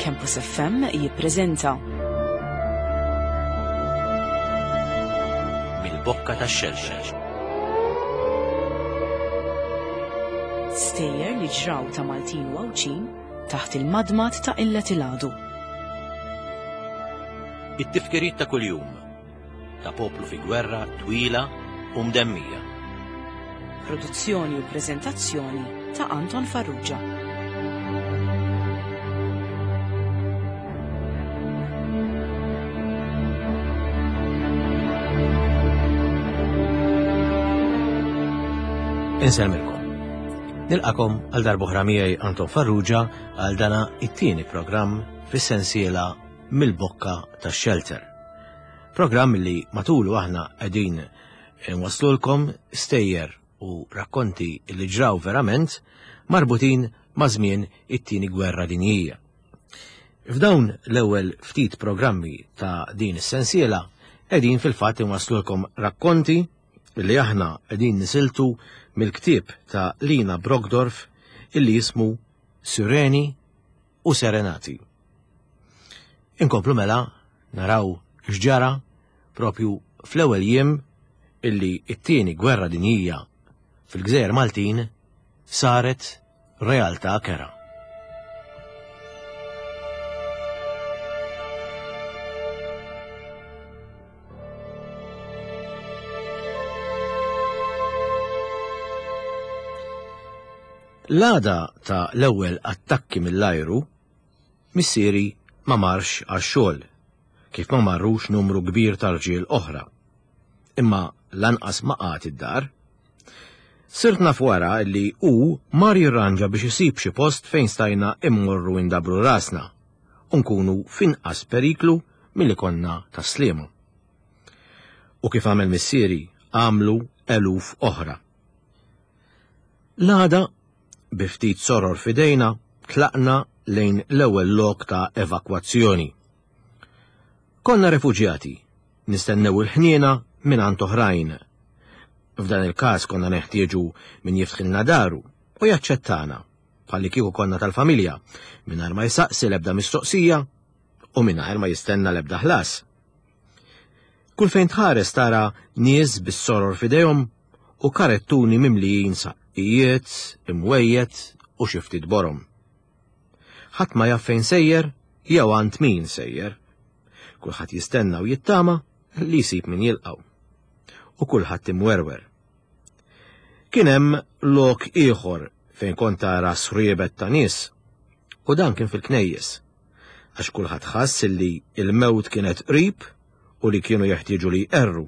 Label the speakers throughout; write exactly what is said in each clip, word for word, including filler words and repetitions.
Speaker 1: Campus F M jippreżenta
Speaker 2: Mill-Bokka tax-Xelxel.
Speaker 1: Stejjer li ġraw ta' Maltin u Għawdxin taħt il-madmad ta' Illet il-Għadu.
Speaker 2: It-tifkiriet ta' kuljum ta' poplu fi gwerra twila u mdemmija.
Speaker 1: Produzzjoni u preżentazzjoni ta' Anton Farrugia.
Speaker 2: Insellmilkom. Nilqakom għal darb'oħra miegħi Anton Farrugia għal dana it-tieni programm fis-sensiela Mill-Bokka tax-Shelter. Programm li matulu aħna qegħdin nwaslulkom stejjer u rakkonti li ġraw verament marbutin ma' żmien it-tieni gwerra dinjija. F'dawn l-ewwel ftit programmi ta' din is-sensiela qegħdin fil-fatt inwaslulkom rakkonti li aħna qegħdin nisiltu mill-ktieb ta' Lina Brockdorff illi jismu Sireni u Serenati. Inkomplu mela naraw x'ġara propju fl-ewwel jiem illi t-tieni gwerra dinjija fil-Gżejjer Maltin saret realtà kera. L-għada ta' l-ewwel attakki mill-ajru, missieri ma marx għax-xogħol, kif ma marrux numru kbir ta' rġiel oħra. Imma lanqas ma qagħad id-dar. Sirt naf wara li hu mar jirranġa biex isib xi post fejn stajna immorru indabru rasna u nkunu f'inqas periklu milli konna tas-Sliema. U kif għamel missieri, għamlu eluf oħra. L-għada, bi ftit soror fidejna, tlaqna lejn l-ewwel lok ta' evakwazzjoni. Konna refuġjati, nistennew il-ħniena minn għand oħrajn. F'dan il-każ konna neħtieġu min jiftħilna daru u jaċċettana, bħalli kieku konna tal-familja, mingħajr ma jsaqsi l-ebda mistoqsija u mingħajr ma jistenna l-ebda ħlas. Kull fejn tħares tara nies bis-soror f'idejhom u karettuni mimlijin saqqijiet, imwejjed u xi ftit borom. Ħadd ma jaf fejn sejjer jew għand min sejjer. Kulħadd jistenna u jittama li jsib min jilqgħu. U kulħadd imwerwer. Kien hemm lok ieħor fejn kont tara sriebet ta' nies, u dan kien fil-knejjes, għax kulħadd ħass li l-mewt kienet qrib u li kienu jeħtieġu li jqerru.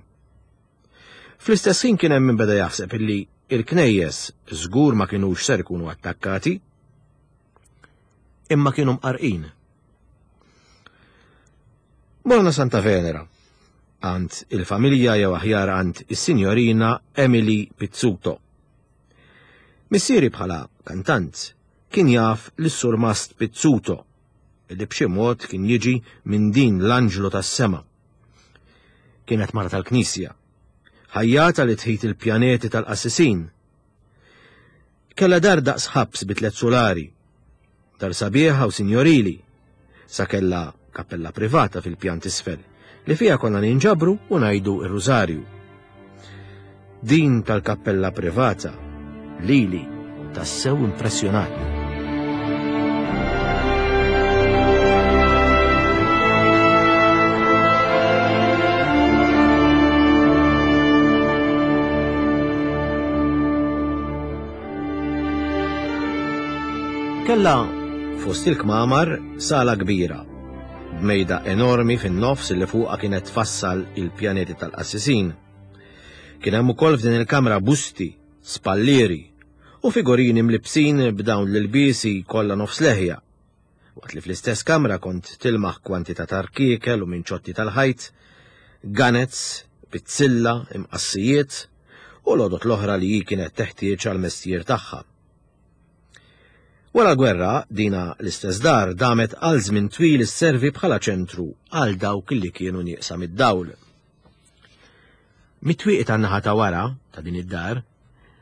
Speaker 2: Fl-istess ħin kien hemm min beda jaħseb illi il-knejjes żgur ma kinux ser ikunu attakkati, imma kienu mqarqin. Morna Santa Venera, għand il-familja jew aħjar għand is-sinjorina Emily Pizzuto. Missieri bħala kantant kien jaf lis-surmast Pizzuto, li b'xi mod kien jiġi minn din l-anġlu tas-sema. Kienet mara tal-knisja, ħajjata li tħit il-pjaneti tal-qassisin. Kella dar daqs ħabs bi tliet solari, dar sabiħa u sinjorili, sa kella kappella privata fil-pjan t'isfel, li fija konna ninġabru u ngħidu ir-rużarju. Din tal-kappella privata lili tassew impressjonatni. Kella fost il-kmamar sala kbira, b'mejda enormi fin-nofs li fuqha kienet tfassal il-pjaneti tal-qassisin. Kien hemm ukoll f'din il-kamra busti, spallieri u figurini mlibsin b'dawn l-ilbiesi kollha nofs leħja. Waqt li fl-istess kamra kont tilmaħ kwantità ta' rkiekel u minċotti tal-ħajt, ganez, pizzilla, imqassijiet u l-għodot l-oħra li hi kienet teħtieġ għall-mestier tagħha. Wara l-gwerra, dina l-istess dar damet għal żmien twil isservi bħala ċentru għal dawk li kienu nieqsa mid-dawl. Mit-twieqi tan-naħa ta' wara ta' din id-dar,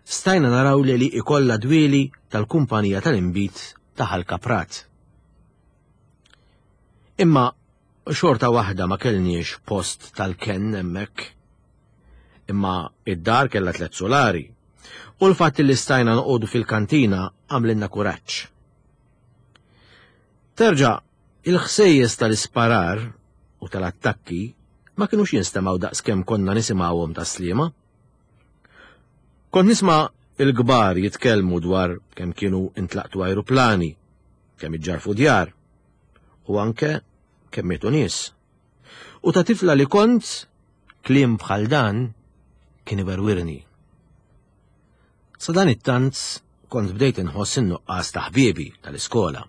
Speaker 2: stajna naraw li li ikolla dwieli tal-kumpanija tal-inbid ta' Ħal Kaprat. Imma xorta waħda ma kellniex post tal-kenn hemmhekk. Imma id-dar kellha tliet solari u l-fatt li stajna noqogħdu fil-kantina għamlilna kuraġġ. Terġa', il-ħsejjes tal-isparar u tal-attakki ma kinux jinstemgħu daqskemm konna nisimgħuhom Tas-Sliema. Kont nisma' il-kbar jitkellmu dwar kemm kienu intlaqtu ajruplani, kemm iġġarfu djar, u anke kemm mietu nies. U ta' tifla li kont, kliem bħal dan kien iwerwirni. Sa dan it-tant kont bdejt inħoss in-nuqqas ta' ħbiebi tal-iskola.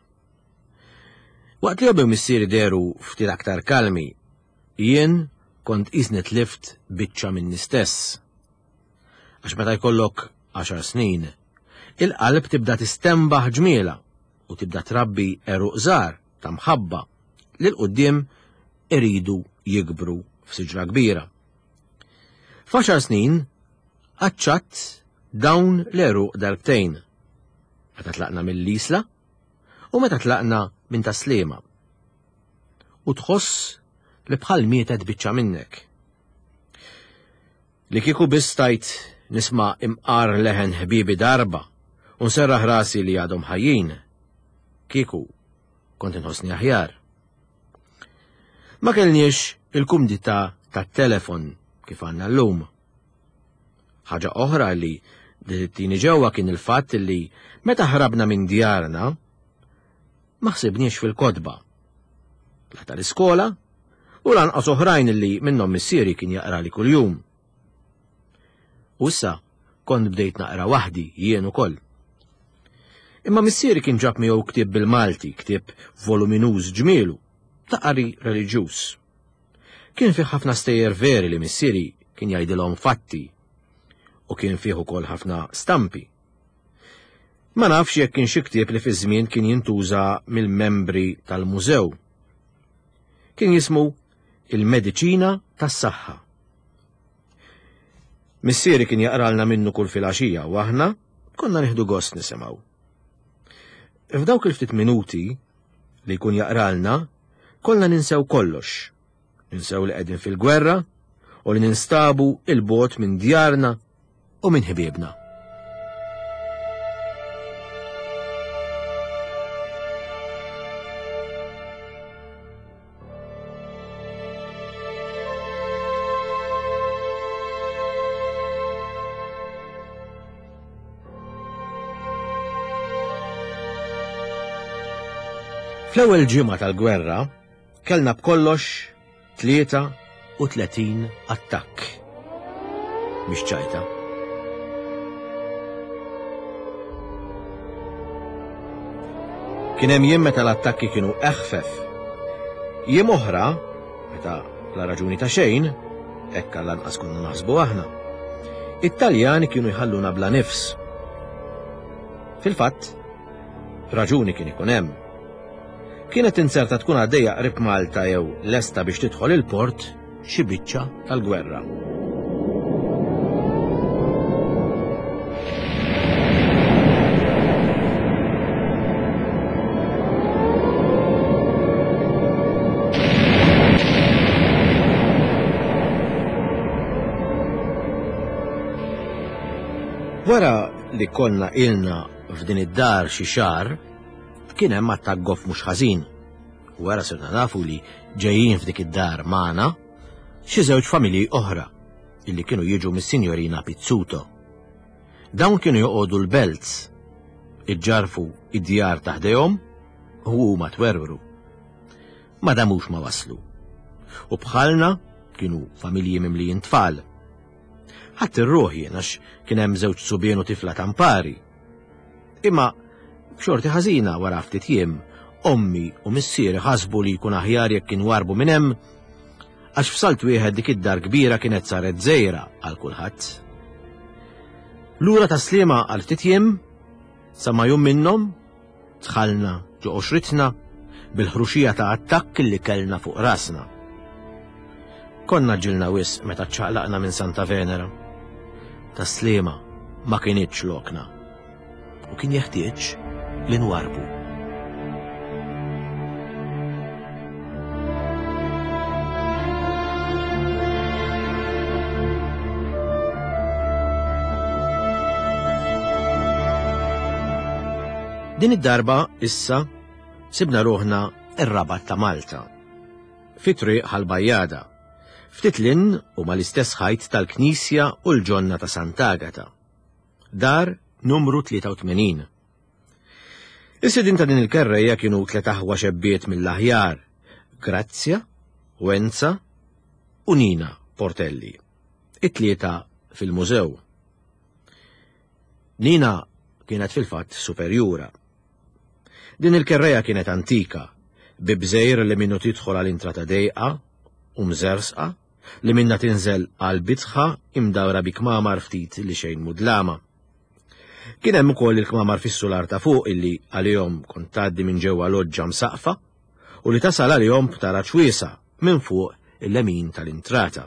Speaker 2: Waqt li ommi u missieri dehru ftit aktar kalmi, jien kont qisni tlift biċċa minni stess. Għax meta jkollok għaxar snin, il-qalb tibda tistembaħ ġmiela u tibda trabbi għeruq żgħar ta' mħabba li l-quddiem iridu jikbru f'siġra kbira. F'għaxar snin qaċċatt dawn l-għeruq darbtejn. Meta tlaqna mill-Isla u meta tlaqna minn Tas-Sliema. U tħoss li bħal mietet biċċa minnek. Li kieku biss stajt nisma' imqar leħen ħbibi darba u nserraħ rasi li għadhom ħajjin, kieku kont inħossni aħjar. Ma kellniex il-kumdità tat-telefon kif għandna llum. Ħaġa oħra li tini ġewwa kien il-fatt li meta ħrabna minn djarna ma ħsibniex fil-kotba. La tal-iskola u lanqas oħrajn li minnhom missieri kien jaqra li kuljum. U issa kont bdejt naqra waħdi jien ukoll. Imma missieri kien ġab miegħu ktieb bil-Malti, ktieb voluminuż ġmielu, ta' qari reliġjuż. Kien fih ħafna stejjer veri li missieri kien jgħidilhom fatti u kien fih ukoll ħafna stampi. Ma nafx jekk kien xi ktieb li fi żmien kien jintuża mill-membri tal-mużew. Kien jismu Il-Mediċina tas-Saħħa. Missieri kien jaqralna minnu kull filgħaxija u aħna konna nieħdu gost nisimgħu. F'dawk il-ftit minuti li jkun jaqralna, kollna ninsew kollox. Ninsew li qegħdin fil-gwerra u li ninstabu il-bogħod minn djarna u minn ħbiebna. Fl-ewwel ġimgħa tal-gwerra kellna b'kollox tlieta u tletin attakk. Mhix ċajta. Kien hemm jiem meta l-attakki kienu eħfef. Jiem oħra, meta la raġuni ta' xejn, hekk għall-anqas konna naħsbu aħna, it-Taljani kienu jħalluna bla nifs. Fil-fatt, raġuni kien ikun hemm. Kienet inzerta tkun għaddejja qrib Malta jew lesta biex tidħol il-port xi biċċa tal-gwerra. Wara li konna ilna f'din id-dar xi xahar, kien hemm attakk goff mhux ħażin. Wara sirna nafu li ġejjin f'dik id-dar magħna xi żewġ familji oħra illi kienu jiġu mis-Sinjorina Pizzuto. Dawn kienu joqogħdu l-Belt, iġġarfu id-djar ta' ħdejhom u huma twerwru. Ma damux ma waslu. U bħalna kienu familji mimlijin tfal. Ħadd ir-ruħ jien għax kien hemm żewġ subien u tifla tampari. Imma b'xorti ħażina wara ftit jiem, ommi u missieri ħasbu li jkun aħjar jekk kienu warbu minn hemm, għax f'salt wieħed dik id-dar kbira kienet saret żgħira għal kulħadd. Lura Tas-Sliema għal ftit jiem, sa ma jum minnhom dħalna ġo qoxritna bil-ħruxija ta' attakk li kellna fuq rasna. Konna ġilna wisq meta ċċaqlaqna minn Santa Venera. Tas-Sliema ma kinitx lokna u kien jeħtieġ li nwarbu. Din id-darba issa sibna ruħna ir-Rabat ta' Malta. Fi triq Ħal-Bajjada, ftit lin u mal-istess ħajt tal-Knisja u l-ġonna ta' Sant'Agata. Dar numru tlieta u tmenin. Is-sidien ta' din il-kerrejja kienu tliet aħwa xebbiet mill-aħjar, Grazzja, Wenza u Nina Portelli, it-tlieta fil-mużew. Nina kienet fil-fatt superjura. Din il-kerreja kienet antika, bi bżejr li minnu tidħol għal intrata dejqa u mżersqa li minna tinżel għal bitħa imdawra bi kmamar ftit li xejn mudlama. Kien hemm ukoll il-kmamar fis-sular ta' fuq illi għalihom kont tgħaddi minn ġewwa loġġa msaqfa u li tasal għalihom b'taraġ wiesa' minn fuq il-lemin tal-intrata.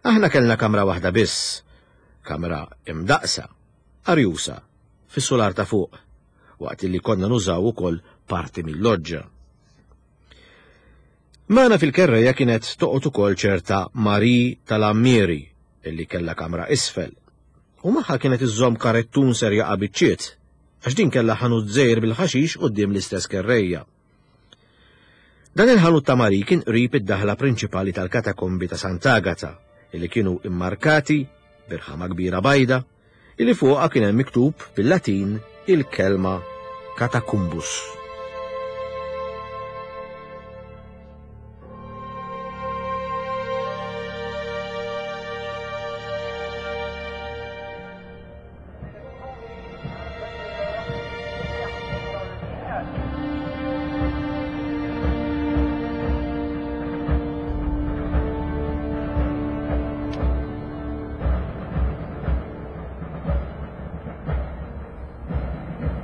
Speaker 2: Aħna kellna kamra waħda biss, kamra imdaqsa, arjusa, fis-sular ta' fuq, waqt li konna nużaw ukoll parti mill-loġġa. Magħna fil-kerreja kienet toqgħod ukoll ċerta Marie tal-Ammieri illi kellha kamra isfel. U magħha kienet iżżomm karettun ser jaqa' biċċiet, għax din kellha ħanut żgħir bil-ħaxix quddiem l-istess kerrejja. Dan il-ħanut ta' Marie kien qrib id-daħla prinċipali tal-katakombi ta' Sant'Agata, illi kienu immarkati birħama kbira bajda, illi fuqha kien hemm miktub bil-Latin il-kelma katakumbus.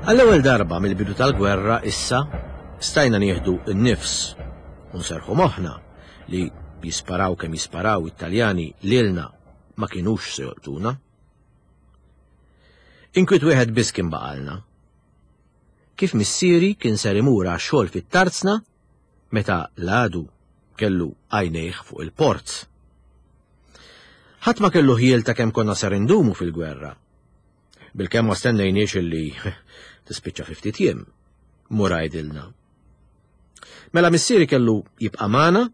Speaker 2: Għall-ewwel darba mill-bidu tal-gwerra issa stajna nieħdu n-nifs u nserħu moħħna li jisparaw kemm jisparaw it-Taljani lilna ma kinux se jolqtuna. Inkwiet wieħed biss kien baqalna. Kif missieri kien ser imur għax-xogħol fit-tarzna meta l-għadu kellu għajnejh fuq il-port. Ħadd ma kellu ħiel ta' kemm konna ser indumu fil-gwerra. Bilkemm ma stennejniex illi tispiċċa fi ftit jiem, mur għajdilna. Mela missieri kellu jibqa' magħna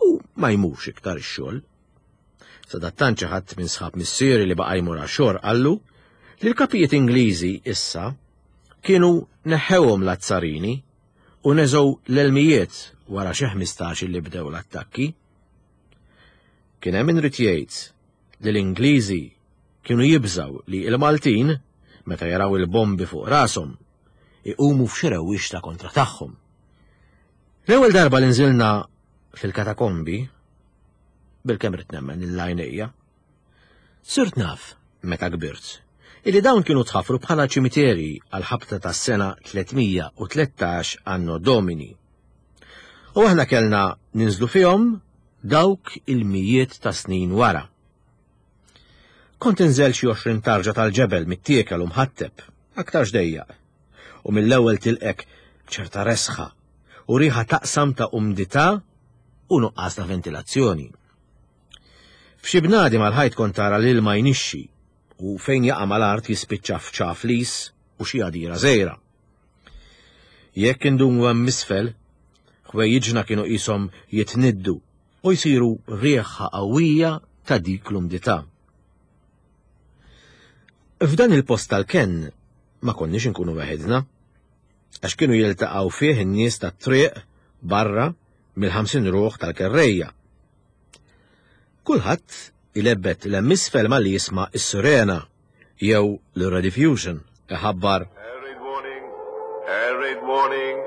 Speaker 2: u ma jmurx iktar ix-xogħol. Sadattant xi ħadd minn sħab missieri li baqa' jmur għax-xogħol qallu li l-kapijiet Ingliżi issa kienu neħħewhom l-azzarini u neżgħu l-elmijiet wara xi ħmistax li bdew l-attakki. Kien hemm min ried jgħid li l-Ingliżi kienu jibżgħu li l-Maltin, meta jaraw il-bombi fuq rashom, iqumu f'xi rewwixta kontra tagħhom. L-ewwel darba li nżilna fil-katakombi, bilkemm ridt nemmen il-għajnejja, sirt naf, meta kbirt, illi dawn kienu tħaffru bħala ċimiteri għal-ħabta tas-sena tlietmija u tlettax anno Domini. U aħna kellna ninżlu fihom dawk il-mijiet ta' snin wara. Kont inżel xi għoxrin tarġa tal-ġebel mittiekel u mħatteb, aktar xdejjaq, u mill-ewwel tilqek ċerta resħa u riħa taqsam ta' umdità u nuqqas ta' ventilazzjoni. F'xi bnadi mal-ħajt kont tara l-ilma jnixxi u fejn jaqa' mal-art jispiċċa f'ċaflis u xi għadira żgħira. Jekk indumu hemm isfel, ħwejjiġna kienu qishom jitniddu u jsiru riħa qawwija ta' dik l-umdità. F'dan il-post tal-kenn ma konniex inkunu weħidna, għax kienu jiltaqgħu fih in-nies tat-triq barra mill-ħamsin ruħ tal-kerrejja. Kulħadd ilebbet l-hemm isfel malli jisma' s-sirena jew l-Rediffusion iħabbar
Speaker 3: Air raid warning, air raid warning,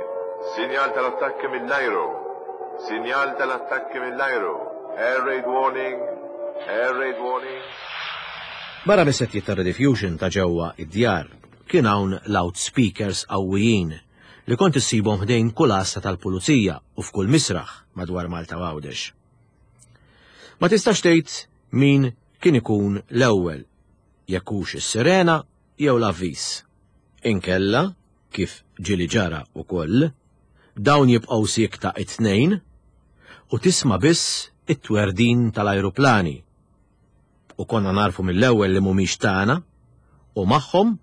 Speaker 3: sinjal tal-attakki mill-ajru, sinjal tal-attakki mill-ajru, air raid warning, air raid warning.
Speaker 2: Barra mis-settijiet ta' Rediffusion ta' ġewwa id-djar kien hawn loudspeakers qawwijin li kont issibhom ħdejn kull għassa tal-pulizija u f'kull misraħ madwar Malta u Għawdex. Ma tistax tgħid min kien ikun l-ewwel, jekk hux is-sirena jew l-avviż. Inkella, kif ġieli ġara wkoll, dawn jibqgħu siekta it-tnejn u tisma' biss it-twerdin tal-ajruplani. U konna narfu mill-ewwel li mhumiex tagħna u magħhom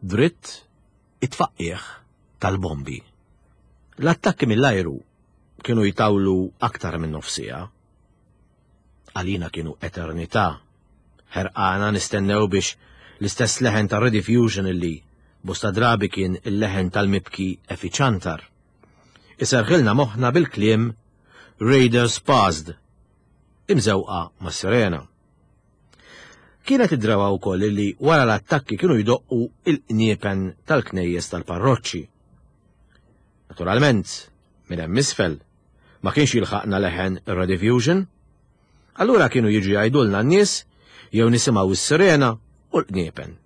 Speaker 2: dritt it-tfaqqigħ tal-bombi. L-attakki mill-ajru kienu jtawlu aktar minn nofsija. Għalina kienu eternità. Ħerqana nistennew biex l-istess leħen ta' Rediffusion illi bosta drabi kien il-leħen tal-mibki Effi Ciantar. Iserħilna moħħna bil-kliem Raiders Passed, imżewqa ma' sirena. Kienet id-drawa wkoll li wara l-attakki kienu jdoqqu il-qniepen tal-knejjes tal-parroċċi. Naturalment, minn hemm isfel, ma kienx jilħaqna leħen ir-Rediffusion, allura kienu jiġu jgħidulna n-nies jew nisimgħu s-sirena u l-qniepen.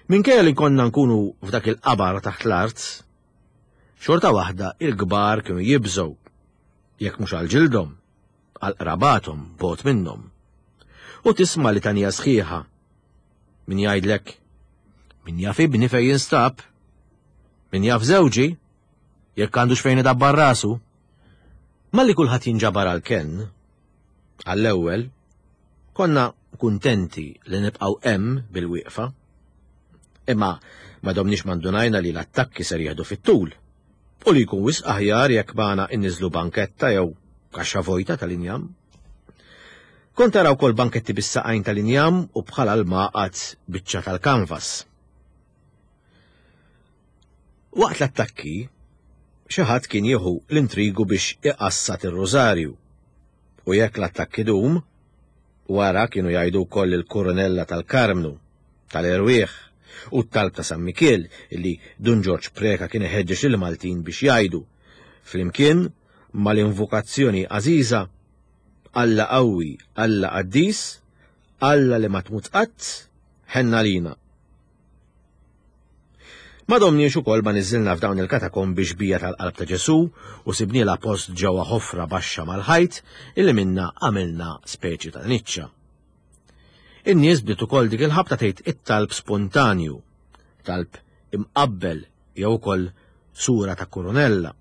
Speaker 2: Minkejja li konna nkunu f'dak il-qabar taħt l-art, xorta waħda il-kbar kienu jibżgħu, jekk mhux għal ġildhom, għal qrabathom bogħod minnhom. U tisma' litanija sħiħa. Min jgħidlek, min jaf ibni fejn jinstab, min jaf żewġi, jekk għandux fejn idabbar rasu. Malli kulħadd jinġabar għal kenn, għall-ewwel, konna kuntenti li nibqgħu hemm bil-wieqfa. Imma ma domniex ma ndunajna li l-attakki ser jieħdu fit-tul u li jkun wisq aħjar jekk magħna inniżlu banketta jew kaxxa vojta tal-injam. Kont tara wkoll banketti bis-saqajn tal-injam u bħala l-maqgħad biċċa tal-kanvas. Waqt l-attakki, xi ħadd kien jieħu l-intrigu biex iqassat ir-rużarju. U jekk l-attakki dum, wara kienu jgħidu wkoll il-kurunella tal-Karmnu, tal-Erwieħ, u t-talb ta' San Mikiel illi Dun Ġorġ Preka kien iħeġġeġ lill-Maltin biex jgħidu, flimkien mal-invokazzjoni għażiża Alla qawwi, Alla qaddis, Alla li ma tmut qatt, ħenna lina. Ma domniex ukoll ma niżilna f'dawn il-katakombi xbija tal-qalb ta' Ġesu u sibnielha post ġewwa ħofra baxxa mal-ħajt illi minna għamilna speċi ta' niċċa. In-nies bdiet ukoll dik il-ħabta tgħid it-talb spontanju, talb imqabbel jew ukoll sura ta' kurunella.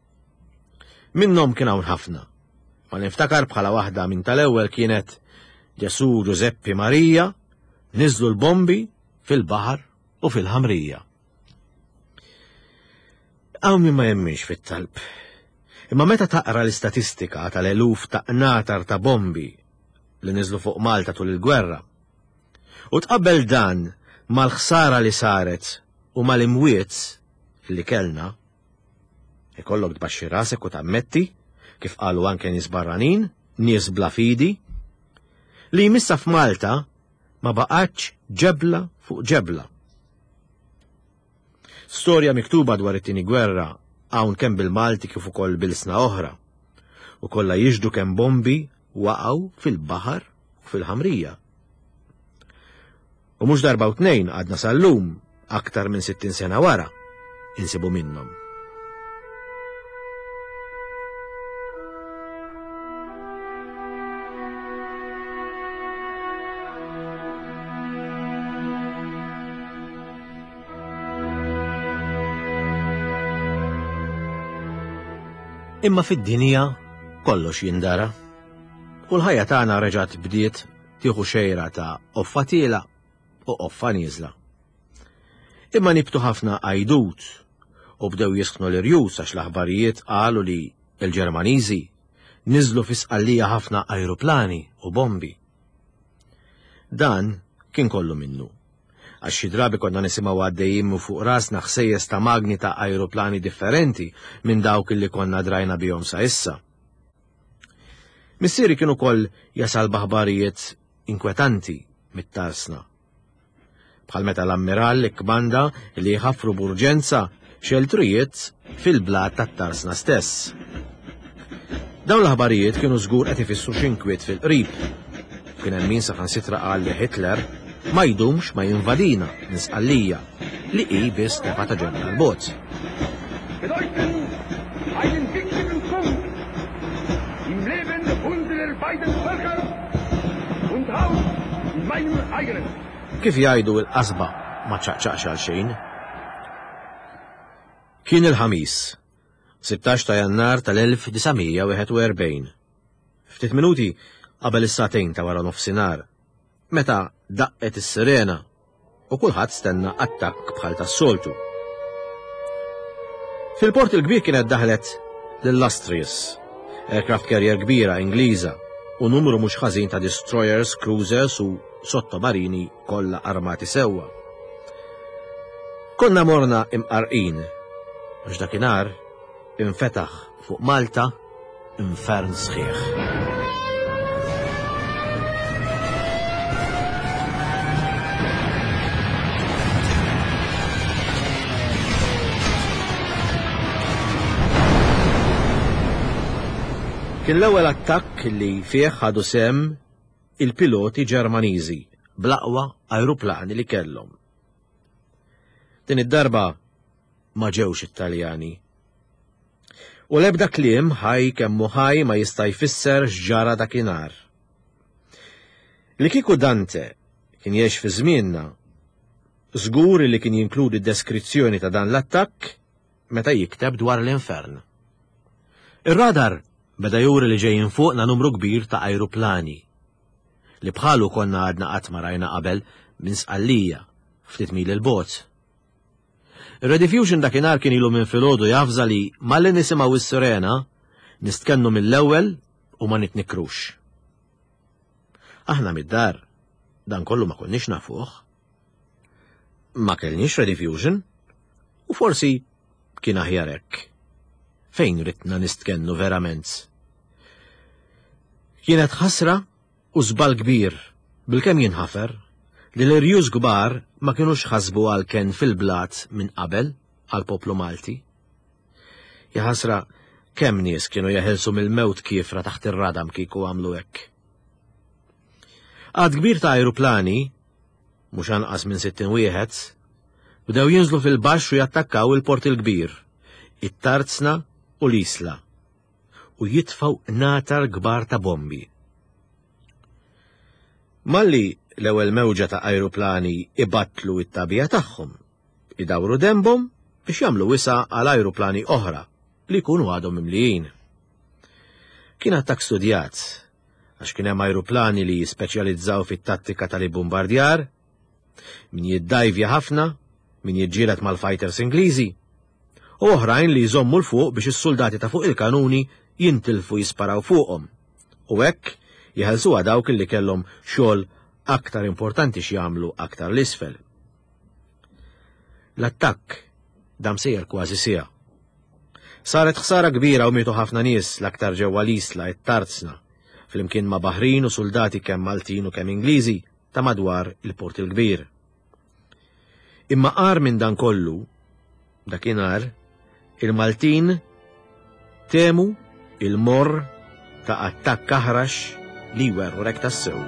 Speaker 2: Minnhom kien hawn ħafna. Ma niftakar bħala waħda minn tal-ewwel kienet Ġesu Ġużeppi Marija niżlu l-bombi fil-baħar u fil-ħamrija. Hawn min ma jemminx fit-talb. Imma meta taqra l-istatistika tal-eluf ta' qnatar ta' bombi li niżlu fuq Malta tul il-gwerra, u tqabbel dan mal-ħsara li saret u mal-imwiet li kellna, ikollok tbaxxi rasek u tammetti, kif qalu anke nies barranin, nies bla fidi, li jmissa f'Malta ma baqgħetx ġebla fuq ġebla. Storja miktuba dwar it-tieni gwerra hawn kemm bil-Malti kif ukoll bil-sna oħra, u kollha jixhdu kemm bombi waqgħu fil-baħar u fil-ħamrija. U mhux darba u tnejn għadna sal-lum, aktar minn sittin sena wara, insibu minnhom. Imma fid-dinja kollox jindara. U l-ħajja tagħna reġgħet bdiet tieħu xejra ta' qoffa tiela u qoffa nieżla. Imma nibtu ħafna għajdut u bdew jisħnu l-irjus għax l-aħbarijiet qalu li l-Ġermaniżi niżlu fi Sqallija ħafna ajruplani u bombi. Dan kien kollu minnu. Għax xi drabi konna nisimgħu għaddejjin minn fuq rasna ħsejjes ta' magni ta' ajruplani differenti minn dawk li konna drajna bihom sa issa. Missieri kien ukoll jasal b'aħbarijiet inkwetanti mit-tarsna. Bħal meta l-ammirall ikkmanda li jħaffru b'urġenza xeltrijiet fil-blat tat-tarsna stess. Dawn l-aħbarijiet kienu żgur qed ifissru x'inkwiet fil-qrib. Kien hemm min saħansitra qal li Hitler ma jdumx ma jinvadina minn Sqallija li hi biss tefa' ta' ġebla l-bogħod.
Speaker 4: Bedeuten einen wichtigen Punkt im Leben unserer beiden Völker und auch in meinem eigenen.
Speaker 2: Kif jgħidu l-qasba ma ċaqċaqx għal xejn. Kien il-Ħamis, sittax ta' Jannar tal-elf disa' mija wieħed u erbgħin. Ftit minuti qabel is-sagħtejn ta' wara nofsinhar, meta daqqet is-sirena u kulħadd stenna attakk bħal tas-soltu. Fil-Port il-Kbir kienet daħlet l-Illustrious, aircraft carrier kbira Ingliża, u numru mhux ħażin ta' destroyers, cruisers u sottomarini kollha armati sewwa. Konna morna imqarqin, għax dakinhar infetaħ fuq Malta infern sħiħ. Kien l-ewwel attakk li fih ħadu sehem il-piloti Ġermaniżi bl-aqwa ajruplani li kellhom. Din id-darba ma ġewx it-Taljani. U l-ebda kliem ħaj kemm hu ħaj ma jista' jfisser x'ġara dakinhar. Li kieku Dante kien jgħix fi żmienna, żgur li kien jinkludi deskrizzjoni ta' dan l-attakk meta jikteb dwar l-infern. Ir-radar beda juri li ġejjin fuqna numru kbir ta' ajruplani li bħalu konna għadna qatt ma rajna qabel minn Sqallija ftit mil il-bogħod. Ir-Rediffusion dakinhar kien ilu minn filgħodu jafża li malli nisimgħu s-sirena nistkennu mill-ewwel u ma nitnikrux. Aħna mid-dar dan kollu ma konniex nafuh. Ma kellniex Rediffusion u forsi kien aħjar hekk. Fejn ridna nistkennu verament? Kienet ħasra u żball kbir bilkemm jinħafer li l-irjus kbar ma kinux ħasbu għal ken fil-blat minn qabel għal poplu Malti. Jaħasra kemm nies kienu jeħilsu mill-mewt kiefra taħt ir-radam kieku għamlu hekk. Għad kbir ta' ajruplani, mhux anqas minn sittin wieħed, bdew jinżlu fil-baxx u jattakkaw il-Port il-Kbir, it-Tarzna u l-Isla, u jitfaw natar kbar ta' bombi. Malli l-ewwel mewġa ta' ajruplani ibattlu it-tabija tagħhom, idawru dembhom biex jagħmlu wisa għal ajruplani oħra li jkunu għadhom mimlijin. Kien attakk studjat, għax kien hemm ajruplani li jispeċjalizzaw fit-tattika tal-ibbombardjar, min jiddajvja ħafna, min jiġġieled mal-fighters Ingliżi, u oħrajn li jżommu l fuq biex is-soldati ta' fuq il-kanuni jintilfu jisparaw fuqhom, u hekk jeħelsuha dawk li kellhom xogħol aktar importanti x'jagħmlu aktar l-isfel. L-attakk dam sejjer kważi siegħa. Saret ħsara kbira u mietu ħafna nies l-aktar ġewwa l-Isla it-Tarzna, flimkien ma' baħrin u soldati kemm Maltin u kemm Ingliżi ta' madwar il-Port il-Kbir. Imma qar minn dan kollu, dakinhar, il-Maltin temu il-morr ta' attakk aħrax li jwerwrek tassew.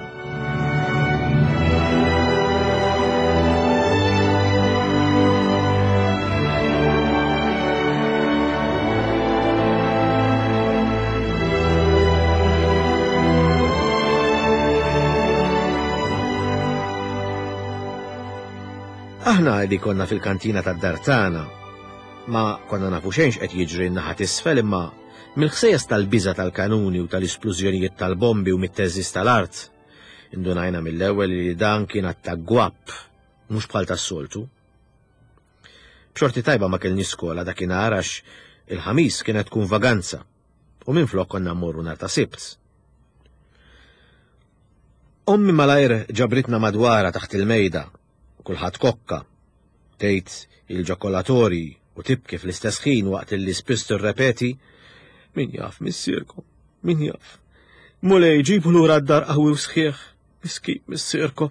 Speaker 2: Aħna li konna fil-kantina tad-dar tagħna ma konna nafu xejn x'qed jiġri n-naħa t'isfel, imma mill-ħsejjes tal-biża' tal-kanuni u tal-isplużjonijiet tal-bombi u mit-teżżiż tal-art, indunajna mill-ewwel li dan kien attakk gwapp, mhux bħal tas-soltu. B'xorti tajba ma kellniex skola dakinhar għax il-ħamis kienet tkun vaganza u minflok konna mmorru nhar ta' Sibt. Ommi malajr ġabritna madwarha taħt il-mejda, kulħadd kokka, tgħid il-ġokolatori u tibki fl-istess ħin waqt li spiss tirrepeti min jaf missierkom, min jaf. Mulej ġibu lura d-dar qawwi u sħiħ, miskin missierkom.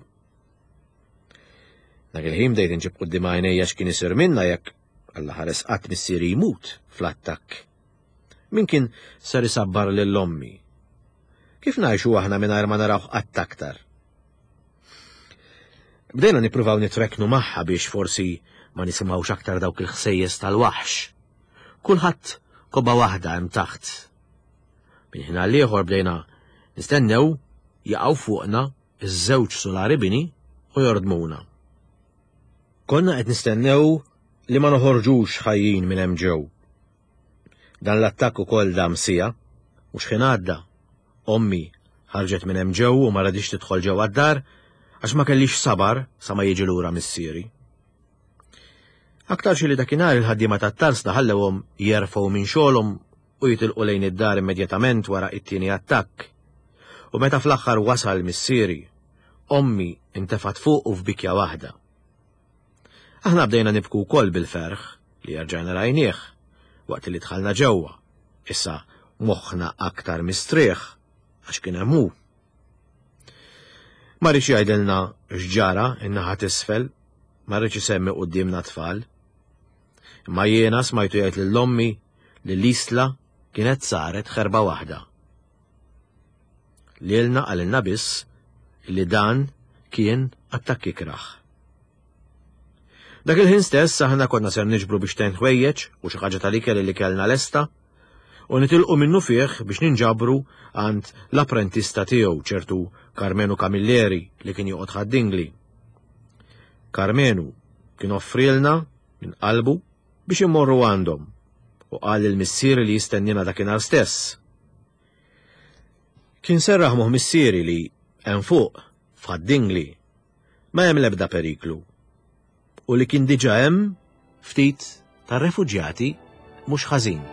Speaker 2: Dak il-ħin bdejt inġib quddiem għajnejja x'kien isir minna jekk Alla ħares qatt missieri jmut fl-attakk. Min kien ser isabbar lil ommi? Kif ngħixu aħna mingħajr ma narawh qatt aktar? Bdejna nippruvaw nitreknu magħha biex forsi ma nisimgħux aktar dawk il-ħsejjes tal-waħx. Kulħadd kobba waħda hemm taħt. Minn ħin għal ieħor bdejna nistennew jaqgħu fuqna iż-żewġ sulari bini u jordmuna. Konna qed nistennew li ma noħorġux ħajjin minn hemm ġew. Dan l-attakk ukoll dam siegħa u x'ħin għadda. Ommi ħarġet minn hemm ġew u ma radix tidħol ġewwa d-dar għax ma kellix sabar sa ma jiġi lura missieri. Aktarx li dakinhar il-ħaddiema tat-tarzna ħallewhom jerfgħu minn xogħolhom u jitilqu lejn id-dar immedjatament wara it-tieni attakk. U meta fl-aħħar wasal missieri, ommi intefat fuq u f'bikja waħda. Aħna bdejna nibku wkoll bil-ferħ li rġajna rajnieh waqt li dħalna ġewwa. Issa moħħna aktar mistrieħ għax kien hemm hu. Ma riedx jgħidilna x'ġara in-naħa t'isfel, ma riedx isemmi quddiemna tfal. Imma jiena smajtu jgħid lil ommi li l-Isla kienet saret ħerba waħda. Lilna qalilna biss li dan kien attakk ikrah. Dak il-ħin stess aħna konna ser niġbru biex ten ħwejjeġ u xi ħaġa tal-ikel li kellna lesta u nitilqu minnu fih biex ninġabru għand l-apprentista tiegħu ċertu Karmenu Camilleri li kien joqgħod Ħad-Dingli. Karmenu kien offrilna minn qalbu biex immorru għandhom u qal lil missieri li jistennina dakinhar stess. Kien serraħ moħħ missieri li hemm fuq f'Ħad-Dingli ma hemm l-ebda periklu u li kien diġà hemm ftit tar-refuġjati mhux ħażin.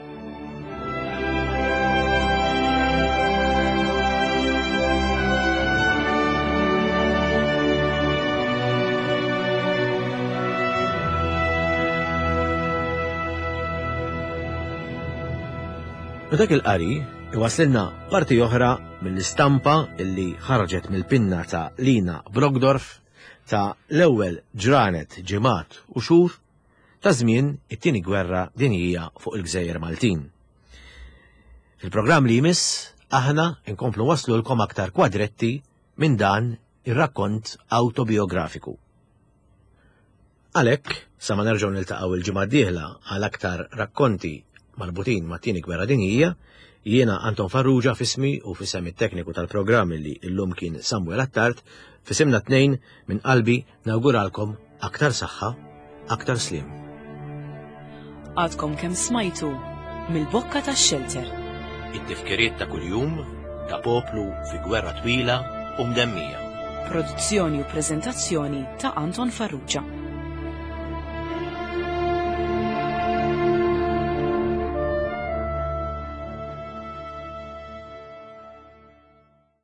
Speaker 2: U dak il-qari iwaslilna parti oħra mill-istampa illi ħarġet mill-pinna ta' Lina Brockdorff ta' l-ewwel ġranet, ġimgħat u xhur ta' żmien it-tieni gwerra dinjija fuq il-Gżejjer Maltin. Fil-programm li jmiss aħna nkomplu waslulkom aktar kwadretti minn dan ir-rakkont autobiografiku. Għalhekk, sa ma nerġgħu niltaqgħu il-ġimgħa d-dieħla għal aktar rakkonti marbutin mat-tieni gwerra dinjija, jiena Anton Farrugia f'ismi u f'isem it-tekniku tal-programm li llum kien Samuel Attard, f'isimna tnejn minn qalbi nawguralkom aktar saħħa, aktar sliem.
Speaker 1: Għadkom kemm smajtu mill-bokka tax-xelter.
Speaker 2: It-tifkiriet ta' kuljum ta' poplu fi gwerra twila u mdemmija.
Speaker 1: Produzzjoni u preżentazzjoni ta' Anton Farrugia.